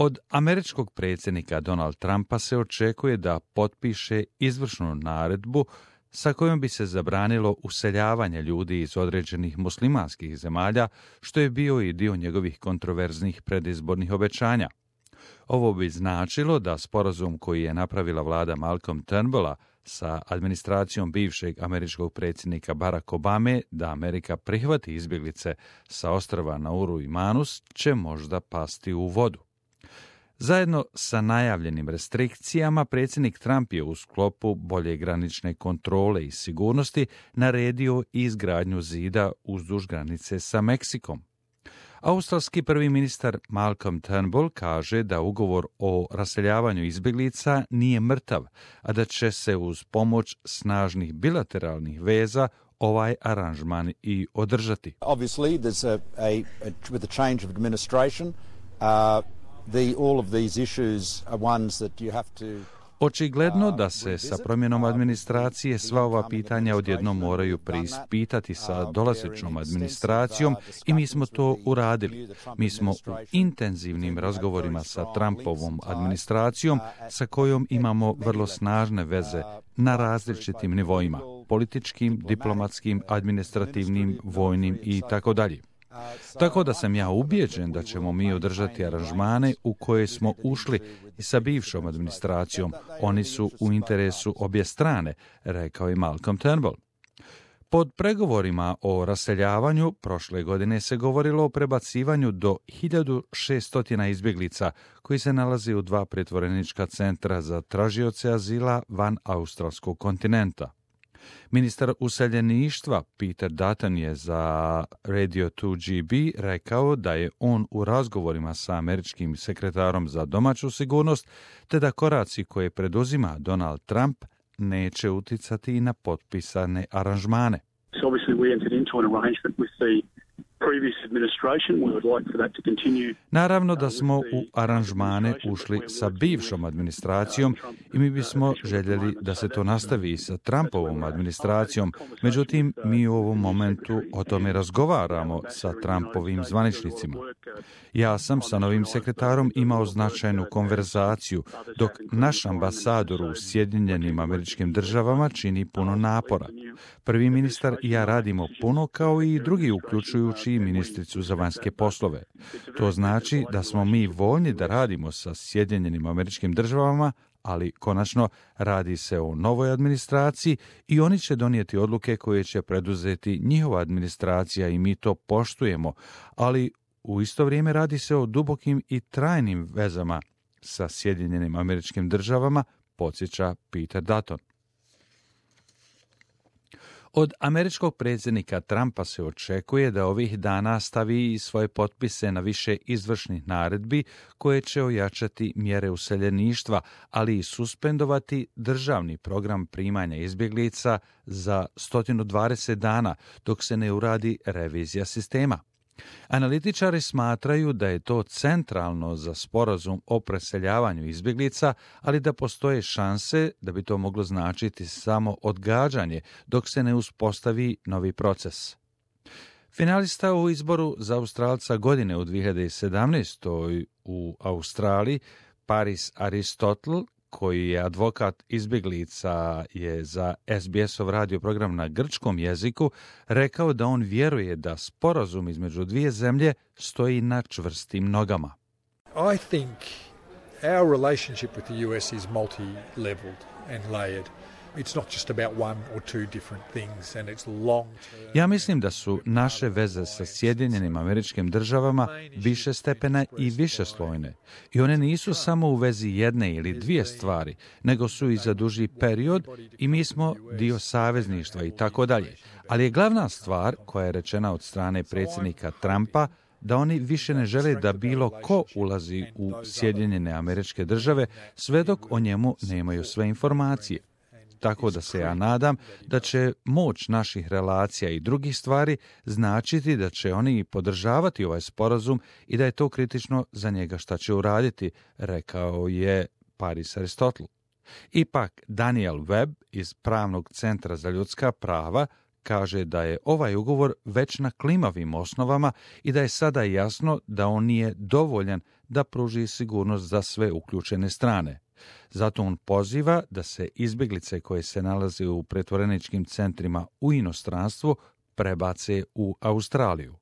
Od američkog predsjednika Donald Trumpa se očekuje da potpiše izvršnu naredbu sa kojom bi se zabranilo useljavanje ljudi iz određenih muslimanskih zemalja, što je bio i dio njegovih kontroverznih predizbornih obećanja. Ovo bi značilo da sporazum koji je napravila vlada Malcolm Turnbulla sa administracijom bivšeg američkog predsjednika Barack Obame da Amerika prihvati izbjeglice sa ostrva Nauru i Manus će možda pasti u vodu. Zajedno sa najavljenim restrikcijama, predsjednik Trump je u sklopu bolje granične kontrole i sigurnosti naredio izgradnju zida uzduž granice sa Meksikom. Australski prvi ministar Malcolm Turnbull kaže da ugovor o raseljavanju izbjeglica nije mrtav, a da će se uz pomoć snažnih bilateralnih veza ovaj aranžman i održati. Obviously, there's with the change of administration, all of these issues are ones that you have to... Očigledno da se sa promjenom administracije sva ova pitanja odjednom moraju preispitati sa dolazećom administracijom i mi smo to uradili. Mi smo u intenzivnim razgovorima sa Trumpovom administracijom sa kojom imamo vrlo snažne veze na različitim nivoima, političkim, diplomatskim, administrativnim, vojnim i tako dalje. Tako da sam ja ubijeđen da ćemo mi održati aranžmane u koje smo ušli i sa bivšom administracijom. Oni su u interesu obje strane, rekao je Malcolm Turnbull. Pod pregovorima o raseljavanju prošle godine se govorilo o prebacivanju do 1600 izbjeglica koji se nalazi u 2 pritvorenička centra za tražioce azila van australskog kontinenta. Ministar useljeništva Peter Dutton je za Radio 2GB rekao da je on u razgovorima sa američkim sekretarom za domaću sigurnost, te da koraci koje preduzima Donald Trump neće uticati i na potpisane aranžmane. So obviously we entered into an arrangement with the previous administration. We would like for that to continue. Naravno da smo u aranžmane ušli sa bivšom administracijom i mi bismo željeli da se to nastavi i sa Trumpovom administracijom. Međutim, mi u ovom momentu o tome razgovaramo sa Trumpovim zvaničnicima. Ja sam sa novim sekretarom imao značajnu konverzaciju, dok naš ambasador u Sjedinjenim Američkim Državama čini puno napora. Prvi ministar i ja radimo puno kao i drugi, uključujući i ministricu za vanjske poslove. To znači da smo mi voljni da radimo sa Sjedinjenim Američkim Državama, ali konačno radi se o novoj administraciji i oni će donijeti odluke koje će preduzeti njihova administracija i mi to poštujemo, ali u isto vrijeme radi se o dubokim i trajnim vezama sa Sjedinjenim Američkim Državama, podsjeća Peter Dutton. Od američkog predsjednika Trumpa se očekuje da ovih dana stavi svoje potpise na više izvršnih naredbi koje će ojačati mjere useljeništva, ali i suspendovati državni program primanja izbjeglica za 120 dana dok se ne uradi revizija sistema. Analitičari smatraju da je to centralno za sporazum o preseljavanju izbjeglica, ali da postoje šanse da bi to moglo značiti samo odgađanje dok se ne uspostavi novi proces. Finalista u izboru za Australca godine u 2017. u Australiji, Paris Aristotle, koji je advokat izbjeglica, je za SBS-ov radio program na grčkom jeziku rekao da on vjeruje da sporazum između dvije zemlje stoji na čvrstim nogama. I think our relationship with the US is multi-leveled and layered. It's not just about one or two different things and it's long term. Ja mislim da su naše veze sa Sjedinjenim Američkim Državama višestepene i višeslojne. I one nisu samo u vezi jedne ili dvije stvari, nego su i za duži period i mi smo dio savezništva i tako dalje. Ali je glavna stvar koja je rečena od strane predsjednika Trumpa da oni više ne žele da bilo ko ulazi u Sjedinjene Američke Države sve dok o njemu nemaju sve informacije. Tako da se ja nadam da će moć naših relacija i drugih stvari značiti da će oni podržavati ovaj sporazum i da je to kritično za njega šta će uraditi, rekao je Paris Aristotle. Ipak Daniel Webb iz Pravnog centra za ljudska prava kaže da je ovaj ugovor već na klimavim osnovama i da je sada jasno da on nije dovoljan da pruži sigurnost za sve uključene strane. Zato on poziva da se izbjeglice koje se nalaze u pretvoreničkim centrima u inostranstvu prebace u Australiju.